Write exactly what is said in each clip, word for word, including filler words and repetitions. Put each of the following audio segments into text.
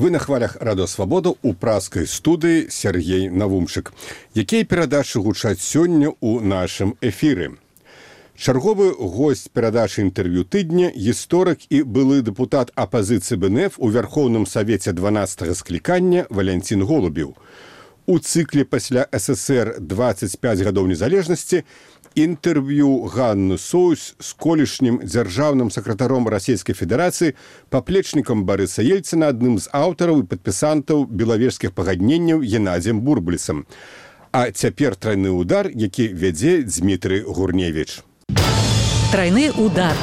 Вы на хвалях Радио Свабода ў праскай студыі Сергей Навумчык. Якія перадачы гучаць сёння ў нашым эфіры? Чарговы госць перадачы інтэрв'ю тыдня, гісторык і былы дэпутат апазіцыі БНФ у Вярхоўным Савеце дванаццатага склікання Валянцін Голубеў. У цыкле пасля СССР дваццаць пяць гадоў незалежнасці інтэрв'ю Ганны Союз з колішнім дзяржаўным сакратаром Расійскай Федэрацыі, паплечнікам Барыса Ельцына, адным з аўтараў і падпісантаў белавежскіх пагадненняў Геннадзем Бурбулісам. А цяпер трайны ўдар, які вядзе Дзмітрый Гурневіч. Трайны ўдар.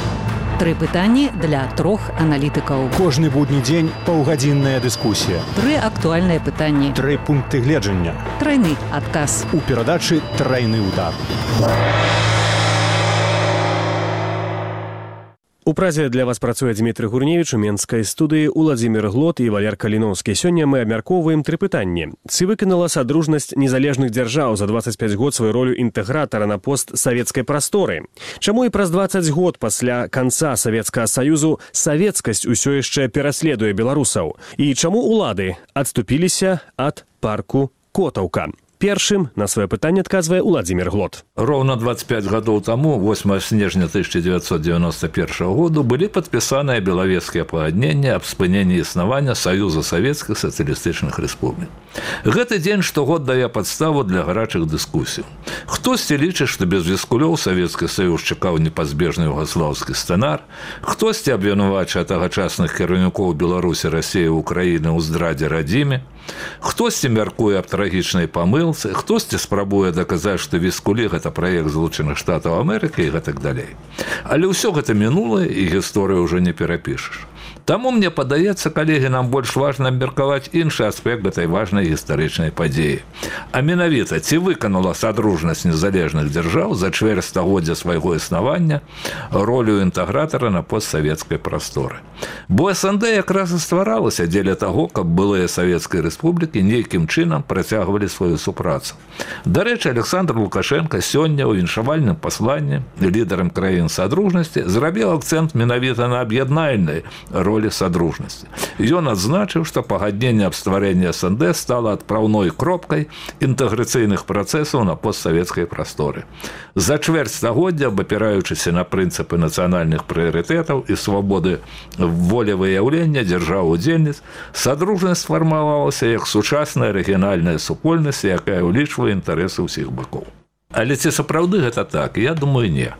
Тры пытанні для трох аналітыкаў. Кожны будні дзень паўгадзінная дыскусія. Тры актуальныя пытанні. Тры пункты гледжання. Трайны адказ. У перадачы «Трайны ўдар». У Празе для вас працуе Дзмітрый Гурневіч, у менскай студыі Уладзімір Глот і Валер Каліноўскі. Сёння мы абмяркоўваем тры пытанні. Ці выканала Садружнасць незалежных дзяржаў за дваццаць пяць год сваю ролю інтэгратара на постсавецкай прасторы? Чаму і праз дваццаць год пасля канца Савецкага Саюзу савецкасць усё яшчэ пераследуе беларусаў? І чаму улады адступіліся ад парку Котаўка? Першым на свое пытанне адказвае Уладзімір Глот. Роўна двадцать пять гадоў таму, восьмага снежня тысяча девятьсот девяносто первого году, былі падпісаныя белавежскія пагадненні аб спыненні існавання Саюза Савецкіх сацыялістычных рэспублік. Гэты дзень штогод дае падставу для гарачых дыскусій. Хтосьці лічыць, што без віскулёў Савецкі Саюз чакаў непазбежны югаслаўскі сцэнар, хтосьці абвінавачвае тагачасных кіраўнікоў Беларусі, Расіі, Украіны ў здрадзе радзіме, хтосьці мяркуе аб трагічнай памылцы, хтосьці спрабуе даказаць, што віскулі гэта праект Злучаных Штатаў Амерыкі і гэтак далей. Але ўсё гэта мінулае, і гісторыю ўжо не перапішаш. Таму, мне падаецца, калегі, нам больш важна абмеркаваць іншы аспект гэтай важнай гістарычнай падзеі. А менавіта, ці выканала Садружнасць незалежных дзяржаў за чвэрць стагоддзя свайго існавання ролю інтэгратара на постсавецкай прасторы. Бо СНД якраз і стваралася дзеля таго, каб былыя савецкай рэспублікі нейкім чынам працягвалі сваю супрацу. Дарэчы, Александр Лукашенко сёння ў віншавальным пасланні лідарам краін Садружнасці зрабіў акцэнт менавіта на аб'яднальнай ролі Садружнасці. Ён адзначыў, што пагадненне аб стварэнні СНД стала адпраўной кропкай інтэграцыйных працэсаў на постсавецкай прасторы. За чвэрць стагоддзя, абапіраючыся на прынцыпы нацыянальных прыярытэтаў і свабоды волевыяўлення дзяржаў-удзельніц, Садружнасць сфармавалася як сучасная рэгіянальная супольнасць, якая ўлічвае інтарэсы ўсіх бакоў. Але ці сапраўды гэта так? Я думаю, не.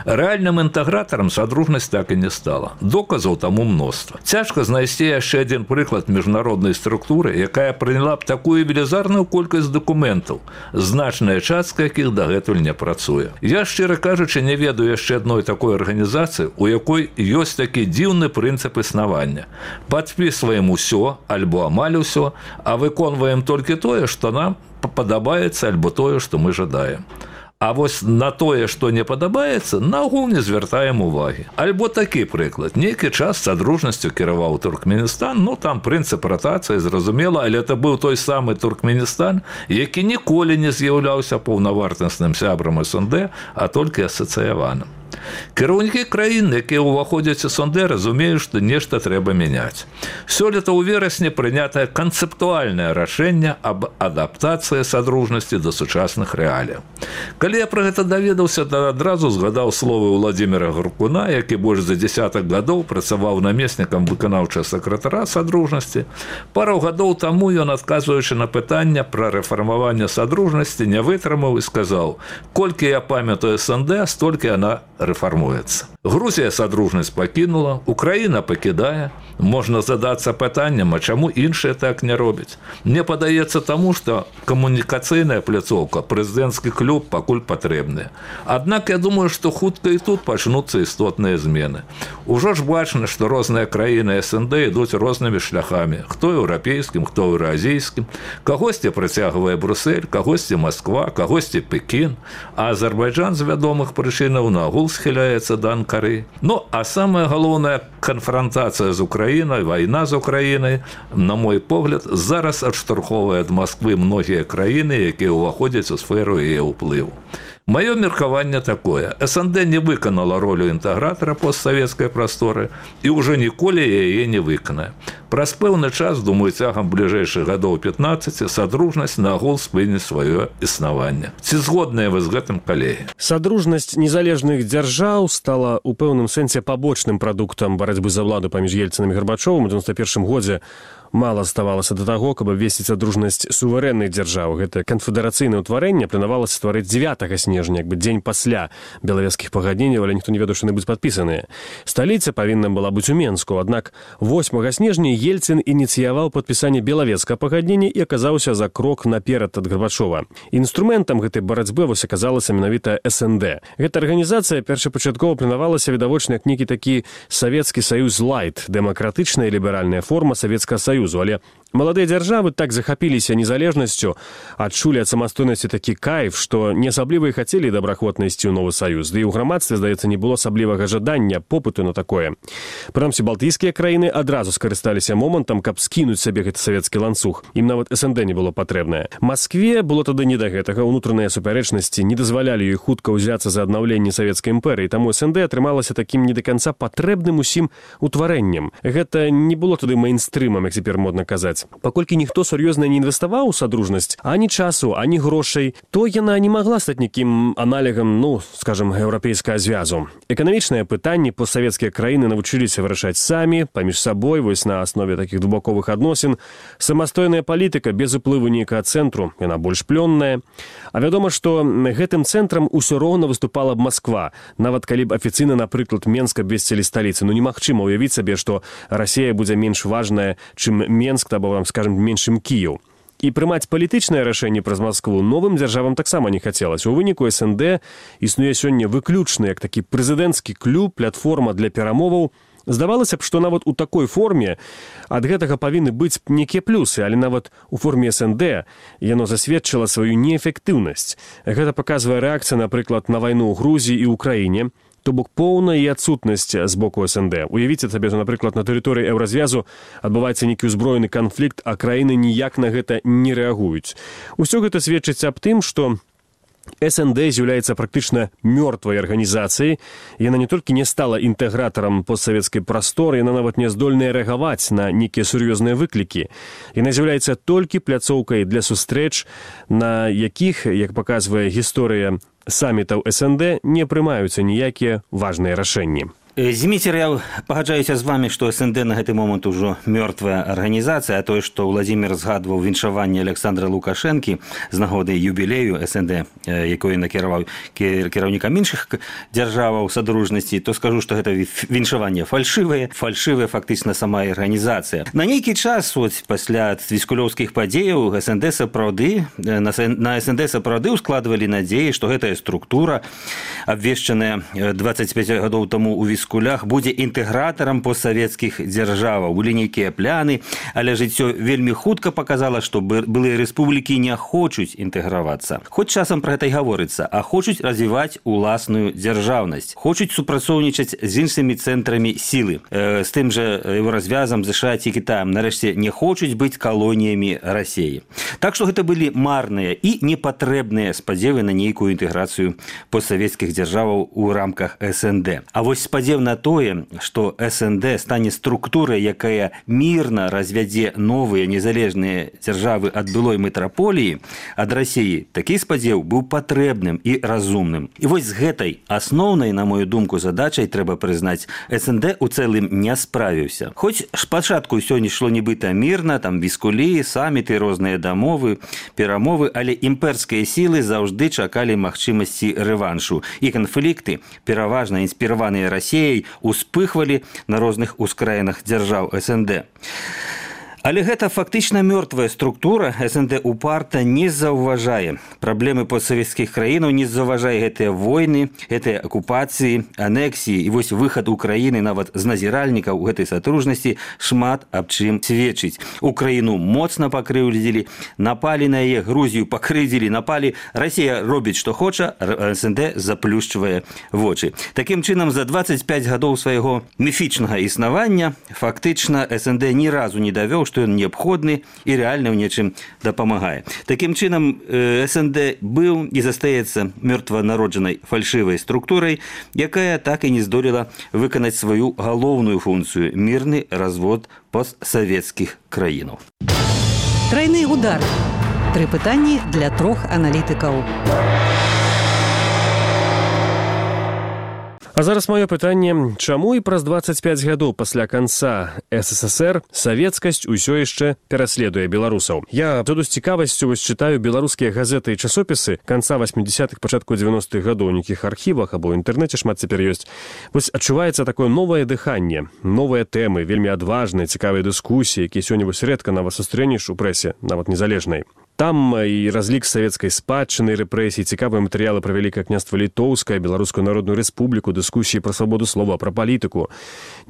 Рэальным інтэгратарам Садружнасць так і не стала. Доказаў таму мноства. Цяжка знайсці яшчэ адзін прыклад міжнароднай структуры, якая прыняла б такую велізарную колькасць дакументаў, значная частка якіх дагэтуль не працуе. Я, шчыра кажучы, не ведаю яшчэ адной такой арганізацыі, у якой ёсць такі дзіўны прынцып існавання. Падпісваем усё, альбо амаль усё, а выконваем толькі тое, што нам падабаецца, альбо тое, што мы жадаем. А вось на тое, што не падабаецца, нагул не звяртаем увагі. Альбо такі прыклад. Нейкі час Садружнасцю кіраваў Туркменістан, ну там прынцып ратацыі, зразумела, але это быў той самы Туркменістан, які ніколі не з'яўляўся паўнавартасным сябрам СНД, а толькі асацыяваным. Кіраўнікі краін, якія ўваходзяць у СНД, разумеюць, што нешта трэба мяняць. Сёлета ў верасні прынятае канцэптуальнае рашэнне аб адаптацыі Садружнасці да сучасных рэаліяў. Калі я пра гэта даведаўся, то адразу згадаў словы Уладзіміра Гаркуна, які больш за дзясятак гадоў працаваў намеснікам выканаўчага сакратара Садружнасці. Пару гадоў таму ён, адказваючы на пытанне пра рэфармаванне Садружнасці, не вытрымаў і сказаў: «Колькі я памятаю СНД, столькі яна рэфармуецца». Грузія Садружнасць пакінула, Украіна пакідае. Можна задацца пытаннем, а чаму іншыя так не робяць? Мне падаецца таму, што камунікацыйная пляцоўка, прэзідэнцкі клуб пакуль патрэбныя. Аднак я думаю, што хутка і тут пачнуцца істотныя змены. Ужо ж бачна, што розныя краіны СНД ідуць рознымі шляхамі. Хто еўрапейскім, хто еўразійскім. Кагосьці прыцягвае Брюссель, кагосьці Масква, кагосьці Пекін. А Азербайджан з вядомых прычынаў нагул схіляецца да Анкары. Ну, а самая галоўная канфронтацыя з Украінай, вайна з Украінай, на мой погляд, зараз адштурхоўвае ад Масквы многія краіны, якія ўваходзяць у сферу яе ўплыву. Маё меркаванне такое: СНД не выканала ролю інтэгратара постсавецкай прасторы і ўжо ніколі яе не выканае. Праз пэўны час, думаю, цягам бліжэйшых гадоў пятнаццаць садружнасць нагул спыніць сваё існаванне. Ці згодныя вы з гэтым, калегі? Садружнасць незалежных дзяржаў стала у пэўным сэнсе пабочным прадуктам барацьбы за ўладу паміж Ельцынам і Гарбачовым у дзевяносто першым годзе. Мала ставалася да таго, каб абвесціць садружнасць суверэнных дзяржаў. Гэта канфедэрацыйнае ўтварэнне планавалася стварыць дзевятага снежня, як бы дзень пасля белавежскіх пагадненняў, але ніхто не ведаў, што яны будуць падпісаныя. Сталіца павінна была быць у Менску, аднак восьмага снежня Ельцын ініцыяваў падпісанне белавежскага пагаднення і аказаўся за крок наперад ад Гарбачова. Інструментам гэтай барацьбы вось аказалася менавіта СНД. Гэта арганізацыя першапачаткова планавалася відавочна як нейкі такі Савецкі Саюз Лайт, дэмакратычная і ліберальная форма Савецкага Саюзу. Але маладыя дзяржавы так захапіліся незалежнасцю, адчулі ад самастойнасці такі кайф, што не асабліва і хацелі добраахвотна ісці ў новы саюз. Ды і ў грамадстве, здаецца, не было асаблівага жадання, попыту на такое. Прынамсі, балтыйскія краіны адразу скарысталіся момантам, каб скінуць сабе гэты савецкі ланцуг. Ім нават СНД не было патрэбнае. Маскве было тады не да гэтага. Унутраныя супярэчнасці не дазвалялі ёй хутка ўзяцца за аднаўленне савецкай імперыі, таму СНД атрымалася такім не да канца патрэбным усім утварэннем. Гэта не было тады мейнстрымам, як цяпер модна казаць. Паколькі ніхто сур'ёзна не інвеставаў у садружнасць, ані часу, ані грошай, то яна не магла стаць нейкім аналегам, ну, скажам, еўрапейскага звязу. Эканамічныя пытанні постсавецкія краіны навучыліся вырашаць самі, паміж сабой, вось на аснове такіх глыбоковых адносін. Самастойная палітыка без уплыву нейкага цэнтру, яна больш плённая. А вядома, што гэтым цэнтрам усё роўна выступала б Масква, нават калі б афіцыйна, напрыклад, Менск абвесцілі сталіцы. Ну, немагчыма ўявіць сабе, што Расія будзе менш важная, чым Менск, або, скажем, меншым Кіеў. І прымаць палітычнае рашэнне праз Маскву новым дзяржавам таксама не хацелася. У выніку СНД існуе сёння выключна як такі прэзідэнцкі клуб, платформа для перамоваў. Здавалася б, што нават у такой форме ад гэтага павінны быць нейкія плюсы, але нават у форме СНД яно засведчыла сваю неэфектыўнасць. Гэта паказвае рэакцыя, напрыклад, на вайну ў Грузіі і ўкраіне, то бок поўная і адсутнасць з боку СНД. Уявіце сабе, напрыклад, на тэрыторыі Еўразвязу адбываецца нейкі ўзброены канфлікт, а краіны ніяк на гэта не рэагуюць. Усё гэта сведчыць аб тым, што СНД з'яўляецца практычна мёртвай арганізацыяй. Яна не толькі не стала інтэгратарам постсавецкай прасторы, яна нават не здольная рэагаваць на нейкія сур'ёзныя выклікі. Яна з'яўляецца толькі пляцоўкай для сустрэч, на якіх, як паказвае гісторыя самітаў СНД, не прымаюцца ніякія важныя рашэнні. Зміцер, я пагаджаюся з вами, што СНД на гэты момант ужо мёртвая арганізацыя, а тое, што Владзімір згадваў віншаванне Александра Лукашэнкі з нагоды юбілею СНД, якое накіраваў кіраўнікам іншых дзяржаваў садружнасці, то скажу, што гэта віншаванне фальшывае, фальшывая фактычна сама арганізацыя. На нейкі час, от, пасля віскулёўскіх падзеяў, СНД сапраўды, на СНД сапраўды ускладвалі надзеі, што гэтая структура, абвешчаная дваццаць пяць гадоў таму ў віскулёўскіх кулях будзе інтэгратарам постсавецкіх дзяржаваў. Былі нейкія пляны, але жыццё вельмі хутка паказала, што былыя рэспублікі не хочуць інтэгравацца. Хоць часам пра гэта і гаворыцца, а хочуць развіваць уласную дзяржаўнасць. Хочуць супрацоўнічаць з іншымі цэнтрамі сілы. Э, з тым жа Еўразвязам, ЗША ці Кітаем, нарэшце, не хочуць быць калоніямі Расіі. Так што гэта былі марныя і непатрэбныя спадзевы на нейкую інтэграцыю постсавецкіх дзяржаваў у рамках СНД. А вось спадзеў на тое, што СНД стане структурай, якая мірна развядзе новыя незалежныя дзяржавы ад былой метраполіі, ад Расіі, такі спадзеў быў патрэбным і разумным. І вось з гэтай асноўнай, на мою думку, задачай трэба прызнаць, СНД у цэлым не справіўся. Хоць спачатку ўсё не шло нібыта мірна, там віскулі, саміты, розныя дамовы, перамовы, але імперскія сілы заўжды чакалі магчымасці рэваншу. І канфлікты, пераважна інспіраваныя Расіяй, успыхвалі на розных ускраінах дзяржаў СНД. Але гэта фактычна мёртвая структура. СНД упарта не заўважае праблемы постсавецкіх краінаў, не заўважае гэтыя войны, гэтыя акупацыі, анексіі. І вось выхад Украіны нават з назіральнікаў гэтай садружнасці шмат аб чым сведчыць. Украіну моцна пакрыўдзілі, напалі на яе, Грузію пакрыўдзілі, напалі. Расія робіць, што хоча, СНД заплюшчвае вочы. Такім чынам, за дваццаць пяць гадоў свайго міфічнага існавання фактычна СНД ні разу не давёў, што што ён неабходны і рэальна ў нечым дапамагае. Такім чынам, СНД быў і застаецца мёртванароджанай фальшывай структурай, якая так і не здолела выканаць сваю галоўную функцыю – мірны развод постсавецкіх краінаў. Трайны удар. Тры пытанні для трох аналітыкаў. А зараз маё пытанне, чаму і праз дваццаць пяць гадоў пасля канца СССР савецкасць усё яшчэ пераследуе беларусаў? Я тут з цікавасцю вось чытаю беларускія газеты і часопісы канца васьмідзясятых, пачатку дзевяностых гадоў, у нейкіх архівах або ў інтэрнэце шмат цяпер ёсць. Вось адчуваецца такое новае дыханне, новыя тэмы, вельмі адважныя, цікавыя дыскусіі, якія сёння вось рэдка нават сустрэнеш у прэсе, нават незалежнай. Там і разлік савецкай спадчыны, рэпрэсій, цікавыя матэрыялы пра Вялікае княства Літоўскае, Беларускую народную рэспубліку, дыскусіі пра свабоду слова, пра палітыку,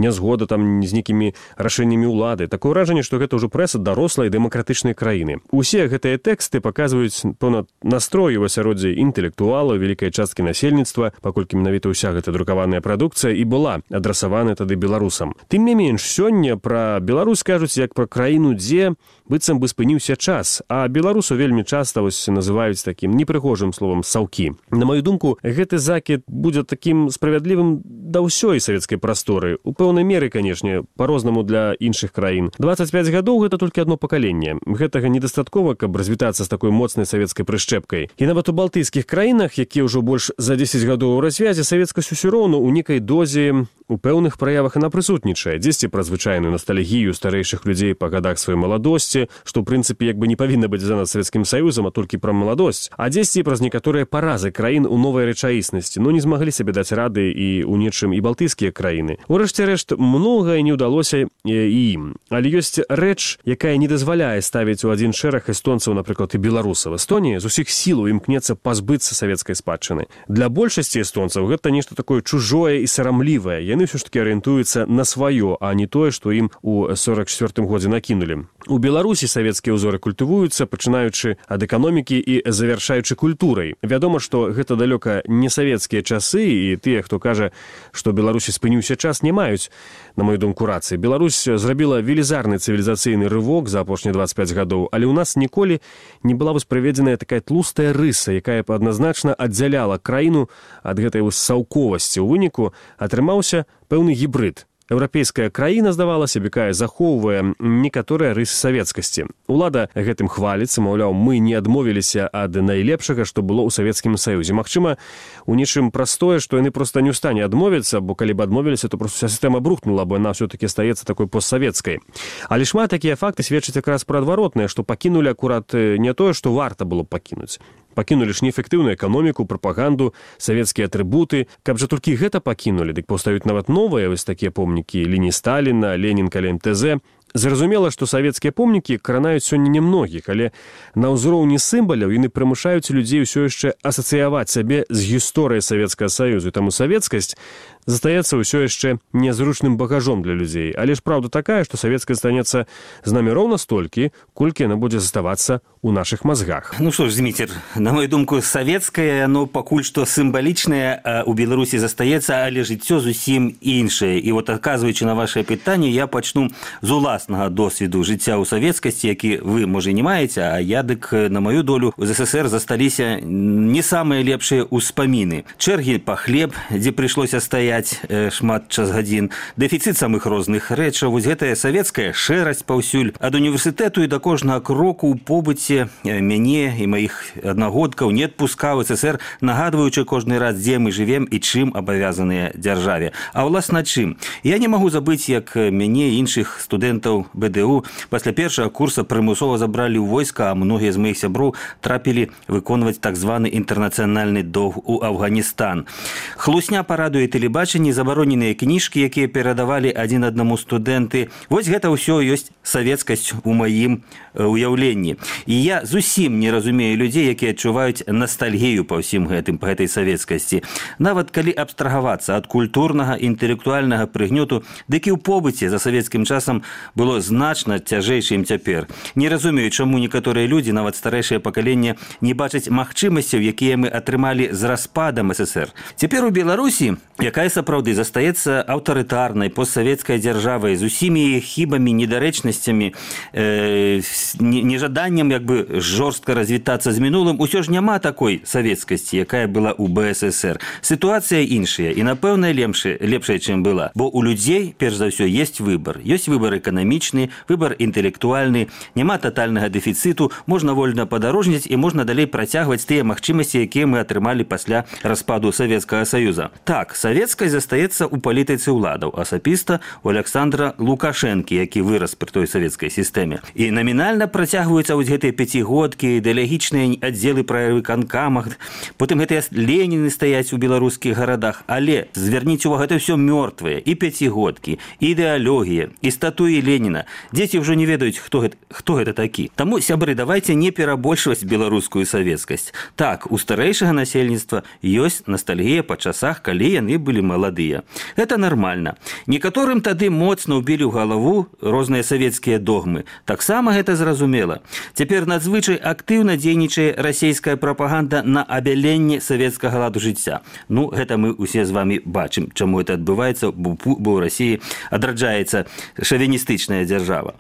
нязгода там з нейкімі рашэннямі ўлады. Такое ўражанне, што гэта ўжо прэса дарослай дэмакратычнай краіны. Усе гэтыя тэксты паказваюць пэўна настрой у асяроддзі інтэлектуалаў, вялікай часткі насельніцтва, паколькі менавіта ўся гэта друкаваная прадукцыя і была адрасавана тады беларусам. Тым не менш, сёння пра Беларусь кажуць як пра краіну, дзе быццам бы спыніўся час, а беларусу вельмі часта вось называюць такім непрыгожым словам саўкі. На маю думку, гэты закід будзе такім справядлівым да ўсёй савецкай прасторы. У пэўнай меры, канешне, па-рознаму для іншых краін. дваццаць пяць гадоў гэта толькі адно пакаленне. Гэтага недастаткова, каб развітацца з такой моцнай савецкай прышчэпкай. І нават у балтыйскіх краінах, якія ўжо больш за дзесяць гадоў у развязе, савецкасць усё роўна ў нейкай дозе у пэўных праявах яна прысутнічае. Дзесьці пра звычайную ностальгію старэйшых людзей па гадах сваёй маладосці, што ў прынцыпе як бы не павінна быць за нас Савецкім Саюзам, а толькі пра маладосць. А дзесьці праз некаторыя паразы краін у новай рэчаіснасці, но не змаглі сабе даць рады і ў нечым і балтыйскія краіны. Урэшце рэшт, многае не ўдалося і ім. Але ёсць рэч, якая не дазваляе ставіць у адзін шэраг эстонцаў, напрыклад, і беларусаў. Эстонія з усіх сілаў імкнецца пазбыцца савецкай спадчыны. Для большасці эстонцаў гэта нешта такое чужое і сарамлівае. Яны ўсё ж такі арыентуюцца на сваё, а не тое, што ім у сорак чвёртым годзе накінулі. У Беларусі савецкія ўзоры культывуюцца, пачынаючы ад эканомікі і завяршаючы культурай. Вядома, што гэта далёка не савецкія часы, і тыя, хто кажа, што Беларусі спыніўся час, не маюць, на мою думку, рацыі. Беларусь зрабіла велізарны цывілізацыйны рывок за апошнія дваццаць пяць гадоў, але ў нас ніколі не была вось праведзеная такая тлустая рыса, якая б адназначна аддзяляла краіну ад гэтай вось саўковасці. У выніку атрымаўся пэўны гібрид. Еўрапейская краіна, здавалася, якая захоўвае некаторыя рысы савецкасці. Улада гэтым хваліцца, маўляў, мы не адмовіліся ад найлепшага, што было ў Савецкім Саюзе. Магчыма, у нечым простое, што яны проста не ў стане адмовіцца, бо калі б адмовіліся, то проста вся сістэма брухнула, бо яна ўсё-такі стаецца такой постсавецкай. Але шмат такія факты сведчаць якраз пра адваротнае, што пакінулі акурат не тое, што варта было пакінуць. Пакінулі ж неэфектыўную эканоміку, прапаганду, савецкія атрыбуты. Каб жа толькі гэта пакінулі, дык паўстаюць нават новыя вось такія помнікі лініі Сталіна, Ленін каля эм тэ зэ. Зразумела, што савецкія помнікі кранаюць сёння немногіх, але на ўзроўні сімваляў яны прымушаюць людзей усё яшчэ асацыяваць сабе з гісторыяй Савецкага Саюзу. Таму савецкасць застаецца ўсё яшчэ нязручным багажом для людзей. Але ж праўда такая, што савецкасць станецца з намі роўна столькі, колькі яна будзе заставацца ў нашых мазгах. Ну што ж, Зміцер, на мою думку, савецкае, оно пакуль што сімвалічнае, а у Беларусі застаецца, але жыццё зусім іншае. І вот, адказваючы на вашае пытанне, я пачну з уласнага досведу жыцця ў савецкасці, які вы, можа, не маеце, а я, дык, на маю долю, у ЗССР засталіся не самыя лепшыя ўспаміны. Чэргі па хлеб, дзе прыйшлося стаяць шмат час гадзін, дэфіцыт самых розных рэчаў, вось гэтая савецкая шэрасць паўсюль. Ад універсітэту і да кожнага кроку ў побыце мяне і маіх аднагодкаў не адпускаў СССР, нагадваючы кожны раз, дзе мы жывем і чым абавязаныя дзяржаве. А ўласна чым? Я не магу забыць, як мяне і іншых студэнтаў бэ дэ у пасля першага курса прымусова забралі ў войска, а многія з маіх сяброў трапілі выконваць так званы інтэрнацыянальны доўг у Афганістан. Хлусня па радыё і тэлебачанні, забароненыя кніжкі, якія перадавалі адзін аднаму студэнты. Вось гэта ўсё ёсць савецкасць у маім уяўленні. І я зусім не разумею людзей, якія адчуваюць ностальгію па ўсім гэтым, па гэтай савецкасці. Нават калі абстрагавацца ад культурнага, інтэлектуальнага прыгнёту, дык і ў побыце за савецкім часам было значна цяжэйшым цяпер. Не разумею, чаму некаторыя людзі, нават старэйшае пакаленне, не бачаць магчымасцяў, якія мы атрымалі з распадам СССР. Цяпер у Беларусі, якая якая сапраўды застаецца аўтарытарнай постсавецкай дзяржавай з усімі хібамі, недарэчнасцямі, э, нежаданнем як бы жорстка развітацца з мінулым, усё ж няма такой савецкасці, якая была ў бэ эс эс эр. Сітуацыя іншая і, напэўна, лепшая, лепшая, чым была. Бо у людзей, перш за ўсё, ёсць выбар. Ёсць выбар эканамічны, выбар інтэлектуальны, няма татальнага дэфіцыту, можна вольна падарожніць і можна далей працягваць тыя магчымасці, якія мы атрымалі пасля распаду Савецкага Саюза. Так, савецкай застаецца ў палітыцы ўладаў, асабіста у Александра Лукашэнкі, які вырас пры той савецкай сістэме. І намінальна працягваюцца вось гэтыя пяцігодкі, ідэалагічныя аддзелы пры выканкамах, потым гэтыя Леніны стаяць у беларускіх гарадах, але зверніце увагу, гэта ўсё мёртвыя, і пяцігодкі, і ідэалогія, і статуі Леніна. Дзеці ўжо не ведаюць, хто гэта, хто гэта такі. Таму, сябры, давайте не перабольшваць беларускую савецкасць. Так, у старэйшага насельніцтва ёсць ностальгія па часах, калі яны былі маладыя. Гэта нармальна. Некаторым тады моцна ўбілі ў галаву розныя савецкія догмы. Таксама гэта зразумела. Цяпер надзвычай актыўна дзейнічае расійская прапаганда на абяленне савецкага ладу жыцця. Ну, гэта мы усе з вами бачым, чаму гэта адбываецца, бо ў Расіі адраджаецца шавіністычная дзяржава.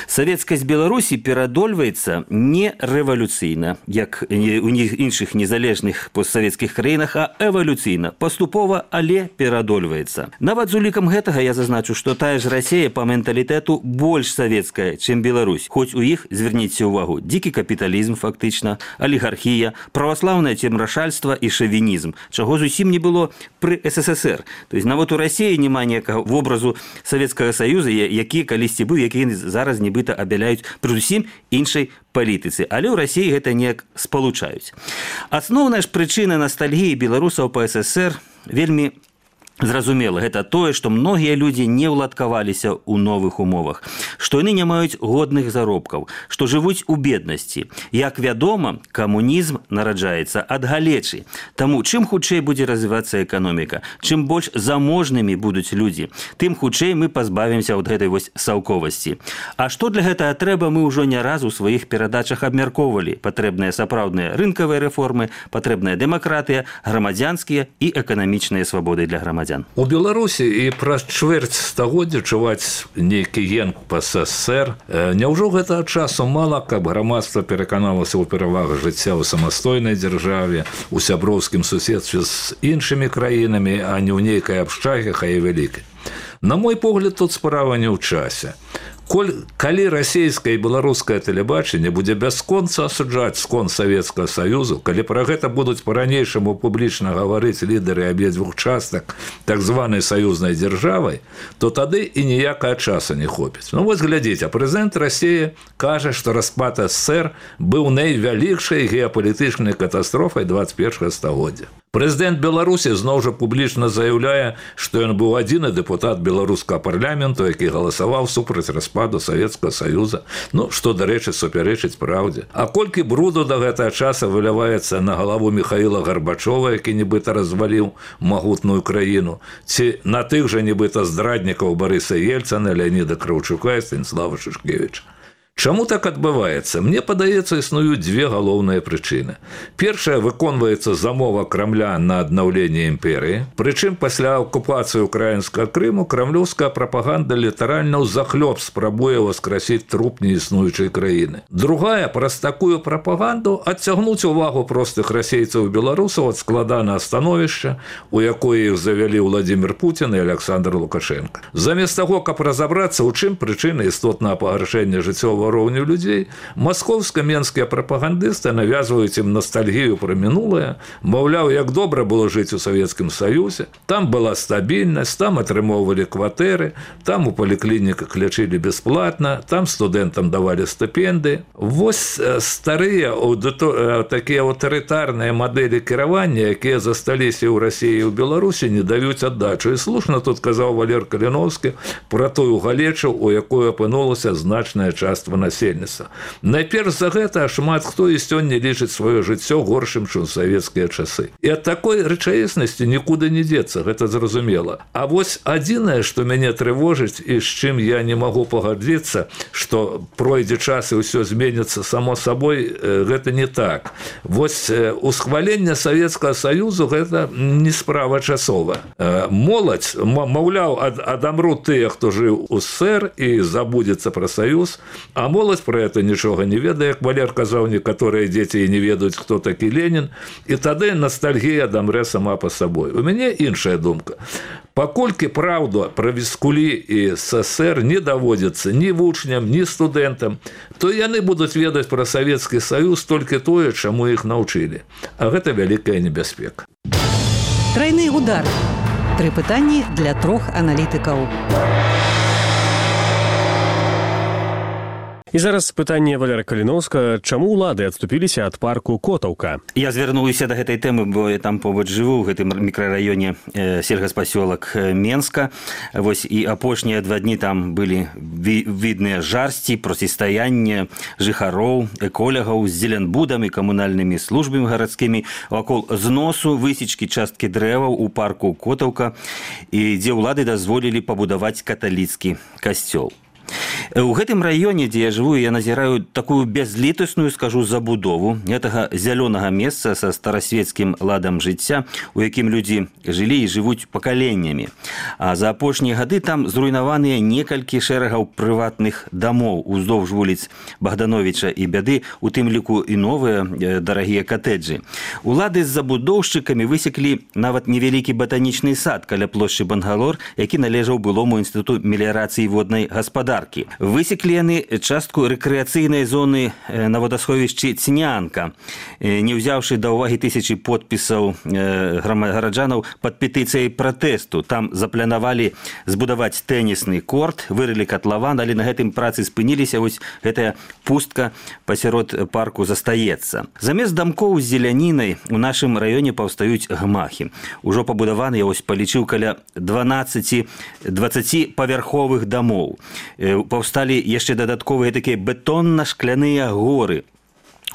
Савецкасць Беларусі перадольваецца не рэвалюцыйна, як у іншых незалежных постсавецкіх краінах, а эвалюцыйна, паступова, але перадольваецца. Нават з улікам гэтага я зазначу, што тая ж Расія па менталітэту больш савецкая, чым Беларусь. Хоць у іх, зверніце ўвагу, дзікі капіталізм фактычна, алігархія, праваслаўнае цемрашальства і шавінізм, чаго зусім не было пры эс эс эс эр. То есть нават у Расіі няма ніякага вобразу Савецкага Саюза, які калісьці быў, які зараз нібыта абяляюць пры зусім іншай палітыцы, але ў Расіі гэта неяк спалучаюць. Асноўная ж прычына ностальгіі беларусаў па эс эс эр вельмі зразумела, гэта тое, што многія людзі не ўладкаваліся ў новых умовах, што яны не маюць годных заробкаў, што жывуць у беднасці. Як вядома, камунізм нараджаецца ад галечы. Таму чым хутчэй будзе развівацца эканоміка, чым больш заможнымі будуць людзі, тым хутчэй мы пазбавімся ад гэтай вось саўковасці. А што для гэтага трэба, мы ўжо не раз у сваіх перадачах абмяркоўвалі. Патрэбныя сапраўдныя рынкавыя рэформы, патрэбная дэмакратыя, грамадзянскія і эканамічныя свабоды для грамадзян. У Беларусі і праз чвэрць стагоддзя чуваць нейкі енк па эс эс эр. Няўжо гэтага часу мала, каб грамадства пераканалася ў перавагах жыцця ў самастойнай дзяржаве, у сяброўскім суседстве з іншымі краінамі, а не ў нейкай абшчаге, хай і вялікай. На мой погляд, тут справа не ў часе. Коль, калі расійскае і беларускае тэлебачанне будзе бясконца асуджаць скон Савецкага Саюзу, калі пра гэта будуць па-ранейшаму публічна гаварыць лідары абедзвюх частак так званай саюзнай дзяржавай, то тады і ніякага часу не хопіць. Ну вось глядзіце, прэзідэнт Расіі кажа, што распад эс эс эр быў найвялікшай геапалітычнай катастрофай дваццаць першага стагоддзя. Прэзідэнт Беларусі зноў жа публічна заяўляе, што ён быў адзіны дэпутат беларускага парламенту, які галасаваў супраць распаду Савецкага Саюза, ну, што, дарэчы, супярэчыць праўдзе. А колькі бруду да гэтага часа выляваецца на галаву Міхаіла Гарбачова, які нібыта разваліў магутную краіну, ці на тых жа нібыта здраднікаў Барыса Ельцына, Леаніда Краўчука і Станіслава Шушкевіча. Чаму так адбываецца? Мне падаецца, існуюць дзве галоўныя прычыны. Першая, выконваецца замова Крамля на аднаўленне імперыі. Прычым пасля акупацыі ўкраінскага Крыму крамлёўская прапаганда літаральна ўзахлёб спрабуе васкрасіць труп неіснуючай краіны. Другая, праз такую прапаганду адцягнуць увагу простых расейцаў і беларусаў ад складанага становішча, у якое іх завялі Владзімір Пуцін і Александр Лукашенко. Замест таго, каб разабрацца, у чым прычына істотнага пагаршэння жыццёвага роўню людзей, маскоўска-менскія прапагандысты навязваюць ім ностальгію пра мінулае, маўляў, як добра было жыць у Савецкім Саюзе, там была стабільнасць, там атрымоўвалі кватэры, там у паліклініках лячылі бясплатна, там студэнтам давалі стыпендыі. Вось старыя такія аўтарытарныя мадэлі кіравання, якія засталіся ў Расіі і ў Беларусі, не даюць аддачу. І слушна тут казаў Валер Каліноўскі пра тую галечу, у якой апынулася значная частка колькасцю насельніцтва. Найперш за гэта шмат хто і сёння лічыць сваё жыццё горшым, чым савецкія часы. І ад такой рэчаіснасці нікуды не дзецца, гэта зразумела. А вось адзінае, што мяне трывожыць і з чым я не магу пагадзіцца, што пройдзе час і ўсё зменіцца само сабой, гэта не так. Вось усхваленне Савецкага Саюзу гэта не справа часова. Моладзь, маўляў, адамрут тыя, хто жыў у СССР і забудзецца пра Саюз, а моладзь пра гэта нічога не ведае, як Валер казаў, некаторыя дзеці і не ведаюць, хто такі Ленін, і тады ностальгія дамрэ сама па сабой. У мяне іншая думка. Паколькі праўду пра Віскулі і СССР не даводзіцца ні вучням, ні студэнтам, то яны будуць ведаць пра Савецкі Саюз толькі тое, чаму іх навчылі. А гэта вялікая небяспека. Трайны удар. Тры пытанні для трох аналітыкаў. І зараз пытанне Валера Каліноўска, чаму ўлады адступіліся ад парку Котаўка? Я звярнуўся да гэтай тэмы, бо я там побач жыву, ў гэтым мікрараёне э, сельгаспасёлак Менска. Вось і апошнія два дні там былі ви, відныя жарсці, процістаянне жыхароў, эколягаў з зеленбудамі, камунальнымі службамі гарадскімі, вакол зносу высечкі часткі дрэваў у парку Котаўка, і дзе ўлады дазволілі пабудаваць каталіцкі касцёл. У гэтым раёне, дзе я жыву, я назіраю такую бязлітасную, скажу, забудову гэтага зялёнага месца са старасвецкім ладам жыцця, у якім людзі жылі і жывуць пакаленнямі. А за апошнія гады там зруйнаваныя некалькі шэрагаў прыватных дамоў уздоўж вуліц Богдановича і Бяды, у тым ліку і новыя дарагія катэджы. Улады з забудоўшчыкамі высеклі нават невялікі батанічны сад каля плошчы Бангалор, які належаў былому інстытуту меліярацыі воднай гаспадаркі. Высеклі яны частку рэкрэацыйнай зоны на водасховішчы Цнянка, не ўзяўшы да ўвагі тысячы подпісаў гараджанаў пад петыцыяй пратэсту. Там запланавалі збудаваць тэнісны корт, вырылі катлаван, але на гэтым працы спыніліся, вось гэтая пустка пасярод парку застаецца. Замест дамкоў з зелянінай у нашым раёне паўстаюць гмахі. Ужо пабудаваны, я вось палічыў, каля дванаццаці павярховых дамоў. Паўсталі яшчэ дадатковыя такія бетонна-шкляныя горы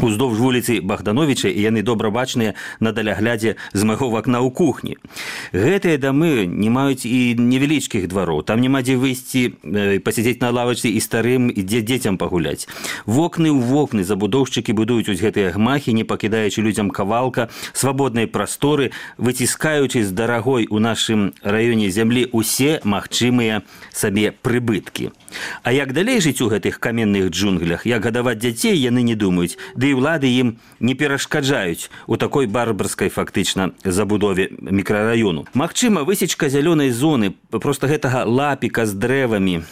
уздоўж вуліцы Богдановича, і яны добра бачныя на даляглядзе з майго вакна ў кухні. Гэтыя дамы не маюць і невялічкіх двароў. Там няма дзе выйсці, пасядзець на лавачцы і старым, і дзе дзецям пагуляць. Вокны ў вокны забудоўшчыкі будуюць вось гэтыя гмахі, не пакідаючы людзям кавалка, свабоднай прасторы, выціскаючы з дарагой у нашым раёне зямлі усе магчымыя сабе прыбыткі. А як далей жыць у гэтых каменных джунглях, як гадаваць дзяцей, яны не думаюць, ды і ўлады ім не перашкаджаюць у такой барбарскай фактычна забудове мікрараёну. Магчыма, высечка зялёнай зоны, проста гэтага лапіка з дрэвамі,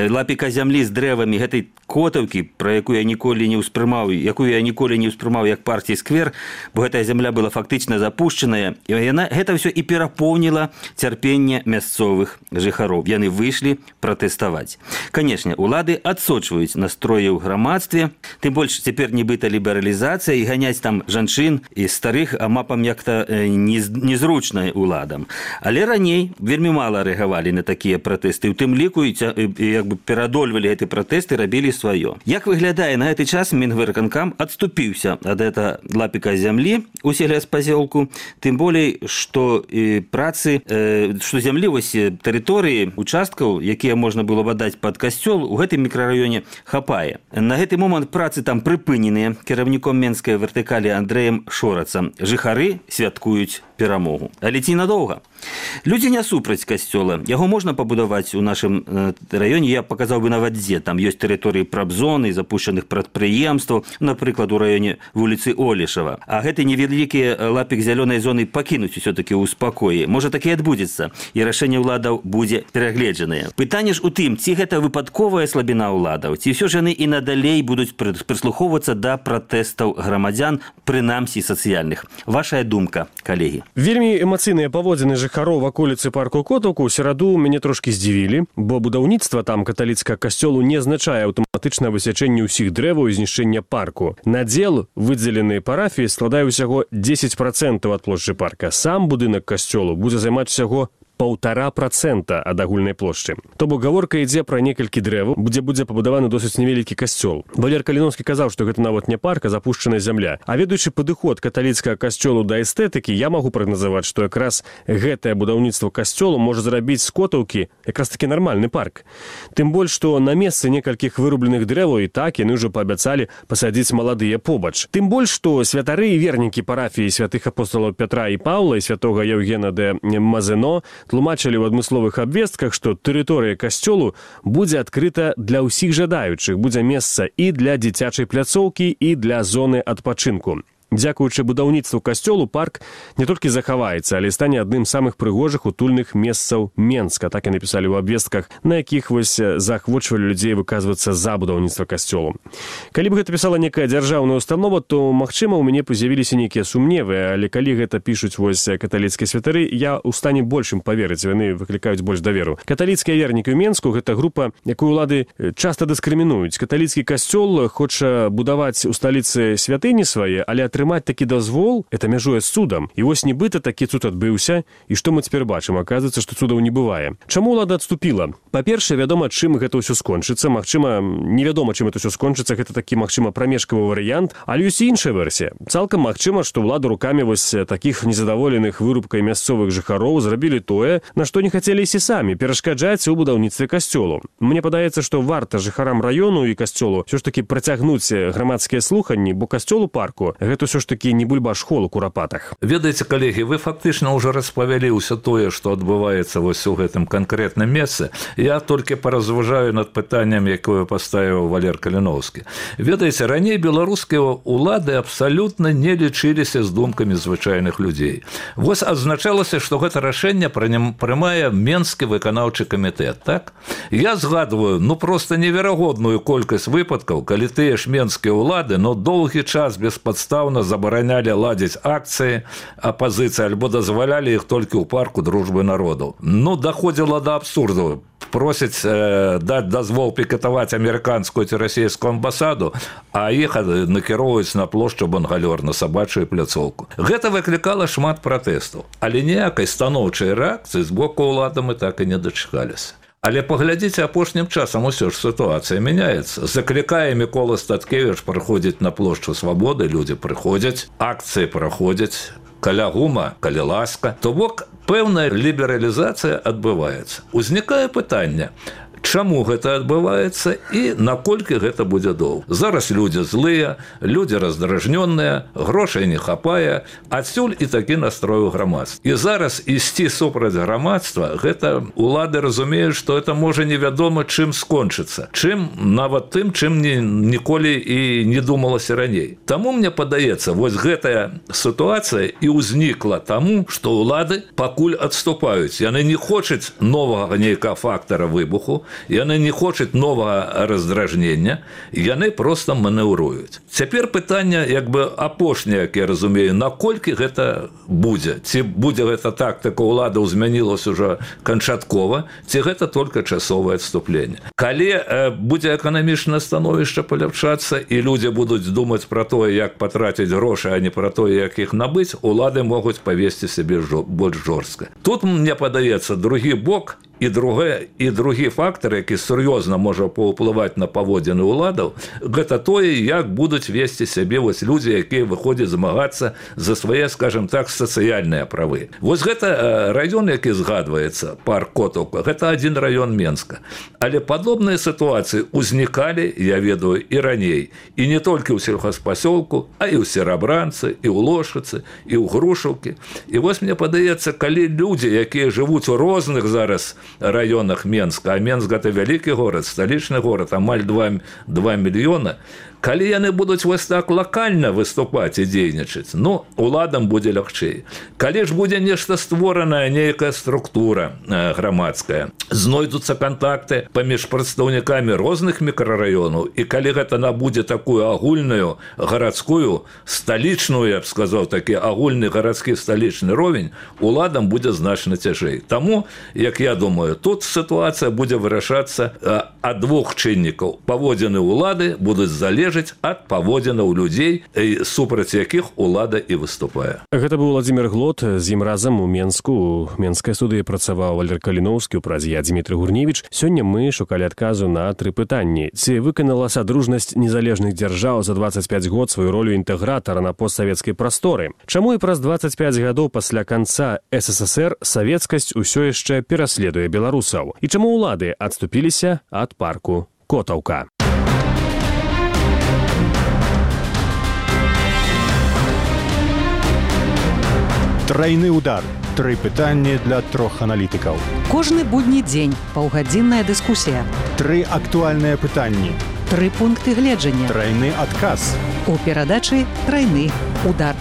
лапіка зямлі з дрэвамі гэтай Котаўкі, пра якую я ніколі не ўспрымаў, якую я ніколі не ўспрымаў як партій сквер, бо гэтая зямля была фактычна запушчаная, і яна гэта ўсё і перапоўніла цярпенне мясцовых жыхароў. Яны выйшлі пратэставаць. Канешне, улады адсочваюць настроі ў грамадстве, тым больш цяпер нібыта лібералізацыя, і ганяць там жанчын і старых амапам як-то незручна уладам. Але раней вельмі мала рэагавалі на такія пратэсты, у тым ліку і як бы перадольвалі гэты пратэсты, рабілі сваё. Як выглядае на гэты час, Мінвыканкам адступіўся ад гэта лапіка зямлі у сельгаспасёлку, тым болей, што працы, што зямлі вось тэрыторыі, участкаў, якія можна было б аддаць пад касцёл, у гэтым мікрараёне хапае. На гэты момант працы там прыпыненыя кіраўніком менскай вертыкалі Андрэем Шорацам. Жыхары святкуюць перамогу. Але ці надоўга? Людзі не супраць касцёла. Яго можна пабудаваць у нашым раёне, я паказаў бы нават дзе. Там ёсць тэрыторыі прабзоны, запушчаных прадпрыемстваў, напрыклад, у раёне вуліцы Олешава. А гэты невялікі лапік зялёнай зоны пакінуць усё-такі ў спакоі. Можа, так і адбудзецца, і рашэнне ўладаў будзе перагледжанае. Пытанне ж у тым, ці гэта выпадковая слабіна ўладаў, ці ўсё ж яны і надалей будуць прыслухоўвацца да пратэстаў грамадзян, прынамсі сацыяльных. Вашая думка, калегі? Вельмі эмацыйныя паводзіны жыхароў ваколіцы парку Котаўку ў сераду мяне трошкі здзівілі, бо будаўніцтва там каталіцкага касцёлу не азначае аўтаматычнае высячэнне ўсіх дрэваў і знішчэння парку. Надзел, выдзеленыя парафіі, складае ўсяго дзесяць працэнтаў ад плошчы парка. Сам будынак касцёлу будзе займаць усяго паўтара працэнта ад агульнай плошчы. То бок гаворка ідзе пра некалькі дрэваў, дзе будзе пабудаваны досыць невялікі касцёл. Валер Каліноўскі казаў, што гэта нават не парк, а запушчаная зямля. А ведаючы падыход каталіцкага касцёлу да эстэтыкі, я магу прагназаваць, што якраз гэтае будаўніцтва касцёлу можа зрабіць з Котаўкі якраз такі нармальны парк. Тым больш, што на месцы некалькіх вырубленых дрэваў і так яны ўжо паабяцалі пасадзіць маладыя побач. Тым больш, што святары і вернікі парафіі святых апостолаў Пятра і Паўла і святога Яўгена де Мазено тлумачылі ў адмысловых абвестках, што тэрыторыя касцёлу будзе адкрыта для ўсіх жадаючых, будзе месца і для дзіцячай пляцоўкі, і для зоны адпачынку. Дзякуючы будаўніцтву касцёлу парк не толькі захаваецца, але стане адным з самых прыгожых утульных месцаў Менска. Так і напісалі ў абвестках, на якіх вось заахвочвалі людзей выказвацца за будаўніцтва касцёлу. Калі б гэта пісала некая дзяржаўная установа, то, магчыма, у мяне з'явіліся нейкія сумневы, але калі гэта пішуць вось каталіцкія святары, я ў стане большым паверыць, яны выклікаюць больш даверу. Каталіцкія вернікі ў Менску – гэта група, якую ўлады часта дыскрымінуюць. Каталіцкі касцёл хоча будаваць у сталіцы святыні свае, але атрымаць такі дазвол, это мяжуе з цудам. І вось нібыта такі цуд адбыўся, і што мы цяпер бачым? Аказваецца, што цудаў не бывае. Чаму ўлада адступіла? Па-першае, вядома, чым гэта ўсё скончыцца. Магчыма, невядома, чым это ўсё скончыцца. Гэта такі, магчыма, прамежкавы варыянт, але ёсць і іншая версія. Цалкам магчыма, што ўлада рукамі вось такіх незадаволеных вырубкай мясцовых жыхароў зрабілі тое, на што не хацелі ісці самі, перашкаджаць у будаўніцтве касцёлу. Мне падаецца, што варта жыхарам раёну і касцёлу ўсё ж такі працягнуць грамадскія слуханні, бо касцёл у парку гэта ўсё ж такі не бульбаш-хол у Курапатах. Ведаеце, калегі, вы фактычна ўжо распавялі ўсё тое, што адбываецца вось у гэтым канкрэтным месцы. Я толькі паразважаю над пытаннем, якое паставіў Валер Каліноўскі. Ведаеце, раней беларускія ўлады абсалютна не лічыліся з думкамі звычайных людзей. Вось адзначалася, што гэта рашэнне прымае Менскі выканаўчы камітэт, так? Я згадваю, ну проста неверагодную колькасць выпадкаў, калі тыя ж менскія ўлады, но доўгі час беспадстаўна забаранялі ладзіць акцыі апазіцыі альбо дазвалялі іх толькі ў парку дружбы народаў. Ну, даходзіла да абсурду. Просяць э, даць дазвол пікетаваць амерыканскую ці расійскую амбасаду, а іх накіроўваюць на плошчу Бангалёр, на сабачую пляцоўку. Гэта выклікала шмат пратэстаў, але ніякай станоўчай рэакцыі з боку ўлады мы так і не дачакаліся. Але паглядзіце, апошнім часам усё ж сітуацыя мяняецца. Заклікае Мікола Статкевіч праходзіць на плошчу Свабоды, людзі прыходзяць, акцыі праходзяць, каля гума, каля ласка. То бок пэўная лібералізацыя адбываецца. Узнікае пытанне, чаму гэта адбываецца і наколькі гэта будзе доўга. Зараз людзі злыя, людзі раздражнёныя, грошай не хапае, адсюль і такі настрой у грамадстве. І зараз ісці супраць грамадства, гэта улады разумеюць, што это можа невядома чым скончыцца, чым нават тым, чым ні, ніколі і не думалася раней. Таму мне падаецца, вось гэтая сітуацыя і ўзнікла таму, што ўлады пакуль адступаюць. Яны не хочуць новага нейкага фактара выбуху, яны не хочуць новага раздражнення, яны проста манеўруюць. Цяпер пытанне, як бы апошняе, як я разумею, наколькі гэта будзе? Ці будзе гэта тактыка ўлады змянілася ўжо канчаткова, ці гэта толькі часовае адступленне? Калі э, будзе эканамічнае становішча паляпшацца і людзі будуць думаць пра тое, як патраціць грошы, а не пра тое, як іх набыць, улады могуць павесці сябе больш жорстка. Тут, мне падаецца, другі бок і другі, і другі фактор, які сур'ёзна можа паўплываць на паводзіны ўладаў, гэта тое, як будуць весці сябе вось людзі, якія выходзяць змагацца за свае, скажем так, сацыяльныя правы. Вось гэта раён, які згадваецца, парк Котаўка, гэта адзін раён Менска. Але падобныя сітуацыі ўзнікалі, я ведаю, і раней. І не толькі ў сельхозпасёлку, а і ў Серабранцы, і ў Лошыцы, і ў Грушаўкі. І вось мне падаецца, калі людзі, якія жывуць у розных зараз раёнах Менска, а Менск – гэта вялікі горад, сталічны горад, амаль два мільёна, калі яны будуць вось так лакальна выступаць і дзейнічаць, ну, уладам будзе лягчэй. Калі ж будзе нешта створаная, нейкая структура э, грамадская, знойдуцца кантакты паміж прадстаўнікамі розных мікрараёнаў, і калі гэта набудзе такую агульную гарадскую, сталічную, я б сказаў, такі агульны гарадскі сталічны ровень, уладам будзе значна цяжэй. Таму, як я думаю, тут сітуацыя будзе вырашацца, э, ад двух чыннікаў. Паводзіны ўлады будуць залежаць ад паводзінаў людзей, супраць якіх улада і выступае. Гэта быў Владзімір Глот, з ім разам у Менску. У Менскай студыі працаваў Валер Каліноўскі, у празі я Дмітрый Гурневіч. Сёння мы шукалі адказу на тры пытанні. Ці выканала садружнасць незалежных дзяржаў за дваццаць пяць год сваю ролю інтэгратара на постсавецкай прасторы? Чаму і праз дваццаць пяць гадоў пасля канца эс эс эс эр савецкасць усё яшчэ пераследуе беларусаў? І чаму ўлады адступіліся ад парку Котаўка? Трайны удар. Тры пытанні для трох аналітыкаў. Кожны будні дзень паўгадзінная дыскусія. Тры актуальныя пытанні. Тры пункты гледжання. Трайны адказ. У перадачы «Трайны удар».